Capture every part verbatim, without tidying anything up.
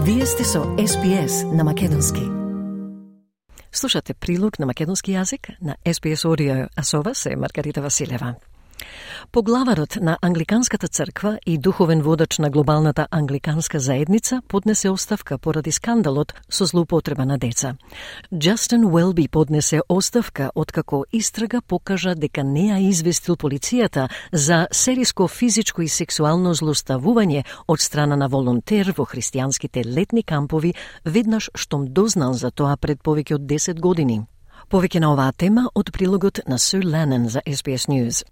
Вие сте со Ес Би Ес на македонски. Слушате прилог на македонски јазик на Ес Би Ес Audio, а со вас е Маргарита Василева. Поглаварот на Англиканската црква и духовен водач на глобалната англиканска заедница поднесе оставка поради скандалот со злоупотреба на деца. Джастин Уелби поднесе оставка откако истрага покажа дека не ја известил полицијата за сериско физичко и сексуално злоставување од страна на волонтер во христијанските летни кампови веднаш штом дознал за тоа пред повеќе од десет години. Повеќе на оваа тема од прилогот на Су Ленен за Ес Би Ес News.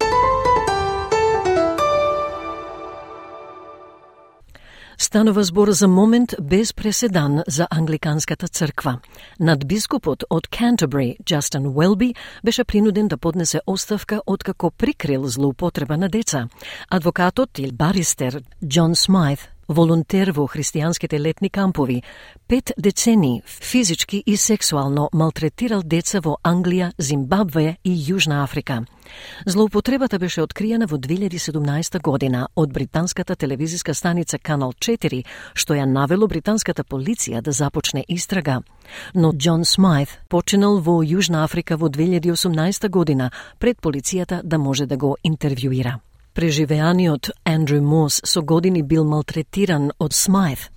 Станува збор за момент без преседан за Англиканската црква. Надбискупот од Canterbury, Джастин Уелби, беше принуден да поднесе оставка откако прикрил злоупотреба на деца. Адвокатот или баристер Џон Смајт, волонтер во христијанските летни кампови, пет децени физички и сексуално малтретирал деца во Англија, Зимбабве и Јужна Африка. Злоупотребата беше откриена во две илјади и седумнаесета година од британската телевизиска станица Канал четири, што ја навело британската полиција да започне истрага. Но Џон Смајт починал во Јужна Африка во две илјади и осумнаесета година пред полицијата да може да го интервјуира. Преживеаниот Андрю Мос со години бил малтретиран од Смајт.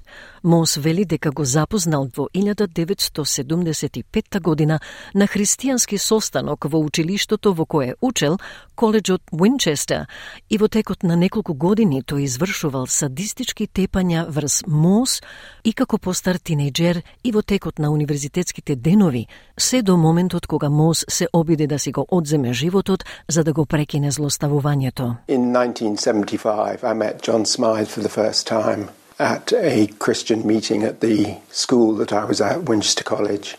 Мос вели дека го запознал во илјада деветстотини седумдесет и петта година на христијански состанок во училиштето во кое учел, коледжот Уинчестер, и во текот на неколку години тој извршувал садистички тепања врз Мос и како постар тинејџер и во текот на универзитетските денови, се до моментот кога Мос се обиде да си го одземе животот за да го прекине злоставувањето. In nineteen seventy-five, I met John Smythe for the first time at a Christian meeting at the school that I was at, Winchester College.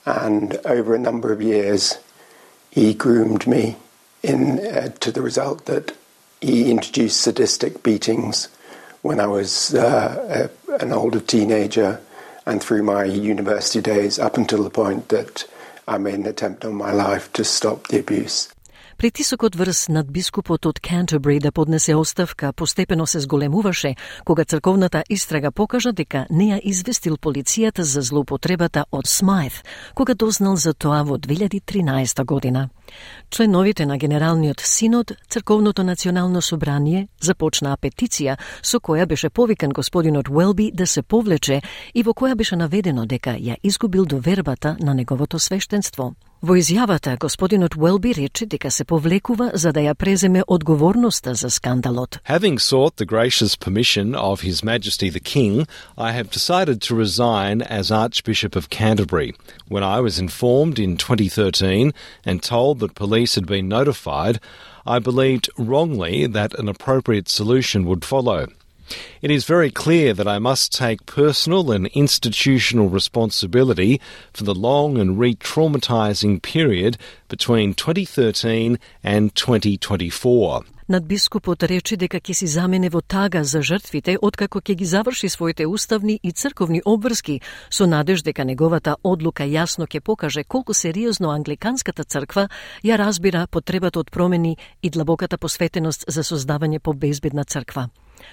And over a number of years, he groomed me in uh, to the result that he introduced sadistic beatings when I was uh, a, an older teenager and through my university days up until the point that I made an attempt on my life to stop the abuse. Притисокот врз надбискупот од Canterbury да поднесе оставка постепено се зголемуваше кога црковната истрага покажа дека не ја известил полицијата за злоупотребата од Смајт, кога дознал за тоа во две илјади и тринаесета година. Членовите на Генералниот синод, Црковното национално собрание, започнаа петиција со која беше повикан господинот Уелби да се повлече и во која беше наведено дека ја изгубил довербата на неговото свештенство. Во изјавата, господинот Уелби рече дека се повлекува за да ја преземе одговорноста за скандалот. Having sought the gracious permission of His Majesty the King, I have decided to resign as Archbishop of Canterbury. When I was informed in twenty thirteen and told that police had been notified, I believed wrongly that an appropriate solution would follow. It is very clear that I must take personal and institutional responsibility for the long and re-traumatizing period between twenty thirteen and twenty twenty-four. Надбискупот рече дека ќе си замене во тага за жртвите откако ќе ги заврши своите уставни и црковни обврски, со надеж дека неговата одлука јасно ќе покаже колку сериозно Англиканската црква ја разбира потребата од промени и длабоката посветеност за создавање по безбедна црква.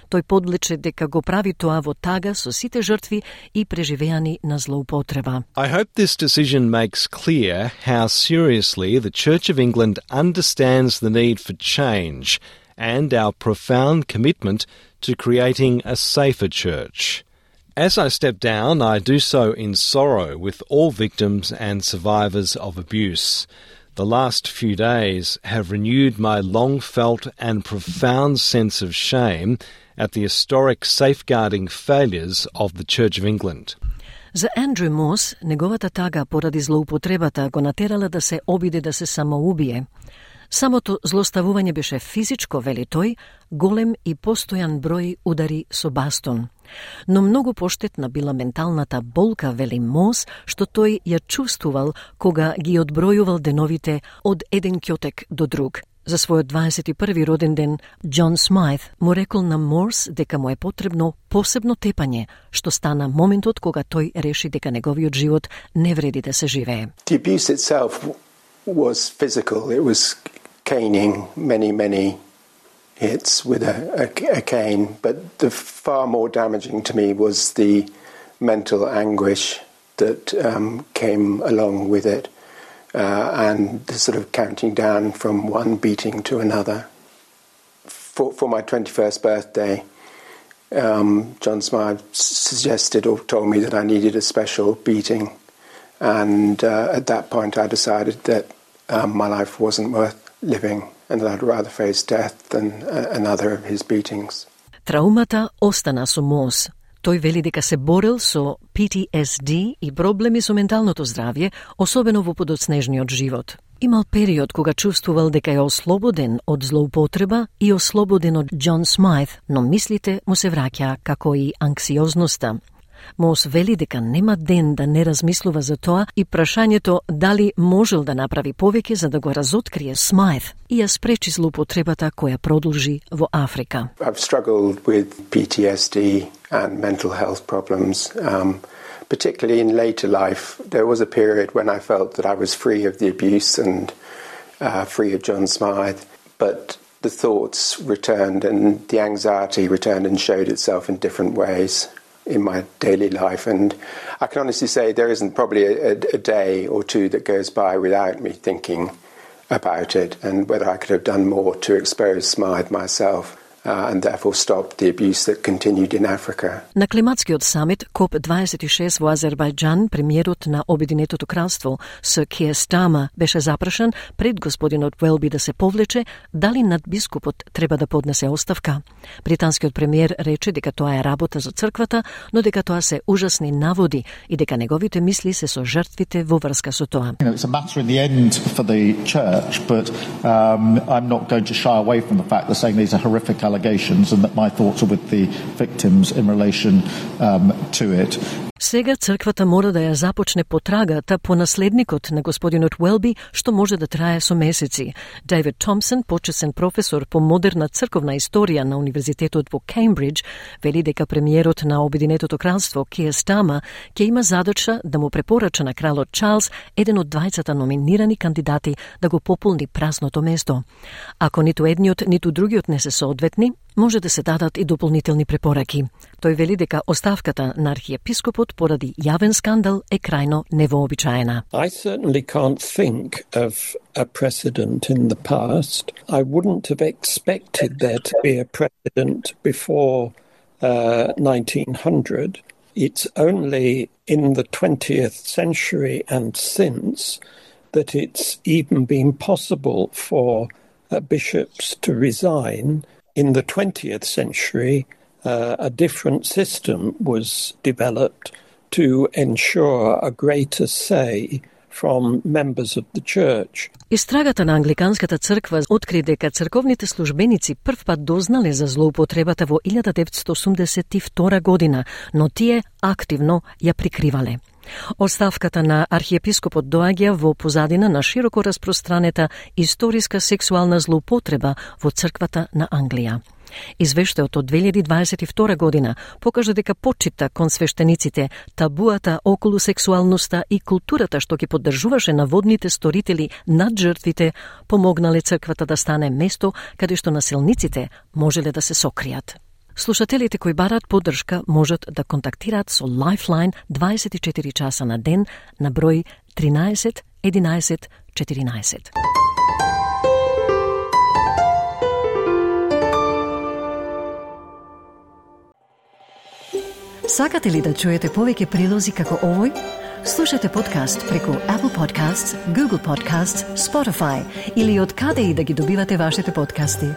Тој подлече дека го прави тоа во тага со сите жртви и преживеани на злоупотреба. I hope this decision makes clear how seriously the Church of England understands the need for change and our profound commitment to creating a safer church. As I step down, I do so in sorrow with all victims and survivors of abuse. The last few days have renewed my long-felt and profound sense of shame at the historic safeguarding failures of the Church of England. За Андрю Мос, неговата тага поради злоупотребата го натерала да се обиде да се самоубие. Самото злоставување беше физичко, вели тој, голем и постојан број удари со бастон. Но многу поштетна била менталната болка, вели Мос, што тој ја чувствувал кога ги одбројувал деновите од еден ќотек до друг. За својот дваесет и први роден ден, Џон Смајт му рекол на Морс дека му е потребно посебно тепање, што стана моментот кога тој реши дека неговиот живот не вреди да се живее. The abuse itself was physical. It was caning, many, many hits with a, a, a cane. But the far more damaging to me was the mental anguish that um, came along with it, uh, and the sort of counting down from one beating to another. For, for my twenty-first birthday, um, John Smythe suggested or told me that I needed a special beating, and uh, at that point I decided that um, my life wasn't worth living and that I'd rather face death than uh, another of his beatings. Траумата остана со Мос. Тој вели дека се борел со P T S D и проблеми со менталното здравје, особено во подоцнежниот живот. Имал период кога чувствувал дека е ослободен од злоупотреба и ослободен од Џон Смајт, но мислите му се враќаа како и анксиозноста. Мос вели дека нема ден да не размислува за тоа и прашањето дали можел да направи повеќе за да го разоткрие Смајт и ја спречи злоупотребата која продолжи во Африка. I've struggled with P T S D and mental health problems, um, particularly in later life. There was a period when I felt that I was free of the abuse and uh, free of John Smythe, but the thoughts returned and the anxiety returned and showed itself in different ways in my daily life, and I can honestly say there isn't probably a, a day or two that goes by without me thinking about it and whether I could have done more to expose Smythe myself uh, and therefore stop the abuse that continued in Africa. На климатскиот самит коп дваесет и шест во Азербајџан, премиерот на Обединетото кралство Сир Киер Стармер беше запрашан пред господинот Уелби да се повлече дали надбискупот треба да поднесе оставка. Британскиот премиер рече дека тоа е работа за црквата, но дека тоа се ужасни наводи и дека неговите мисли се со жртвите во врска со тоа. You know, it's a matter in the end for the church, but um, I'm not going to shy away from the fact that saying these are horrific allegations and that my thoughts are with the victims in relation um, to it. Сега црквата мора да ја започне потрагата по наследникот на господинот Уелби, што може да трае со месеци. Дейвид Томпсон, почесен професор по модерна црковна историја на Универзитетот во Кембридж, вели дека премиерот на Обединетото кралство Киер Стармер ќе има задача да му препорача на кралот Чарлс, еден од двајцата номинирани кандидати, да го пополни празното место. Ако ниту едниот, ниту другиот не се соодветни, може да се дадат и дополнителни препораки. Тој вели дека оставката на архиепископот поради јавен скандал е крајно невообичаена. I certainly can't think of a precedent in the past. I wouldn't have expected there to be a precedent before uh, nineteen hundred. It's only in the twentieth century and since that it's even been possible for uh, bishops to resign. In the twentieth century, uh, a different system was developed to ensure a greater say from members of the church. Истрагата на Англиканската црква откри дека црковните службеници прв пат дознале за злоупотребата во илјада деветстотини осумдесет и втора година, но тие активно ја прикривале. Оставката на архиепископот доаѓа во позадина на широко распространета историска сексуална злоупотреба во црквата на Англија. Извештајот од две илјади дваесет и втора година покажа дека почита кон свештениците, табуата околу сексуалноста и културата што ги поддржуваше наводните сторители над жртвите, помогнале црквата да стане место каде што насилниците можеле да се сокријат. Слушателите кои бараат поддршка можат да контактираат со Lifeline дваесет и четири часа на ден на број тринаесет единаесет четиринаесет. Сакате ли да чуете повеќе прилози како овој? Слушате подкаст преку Apple Podcasts, Google Podcasts, Spotify или од каде и да ги добивате вашите подкасти.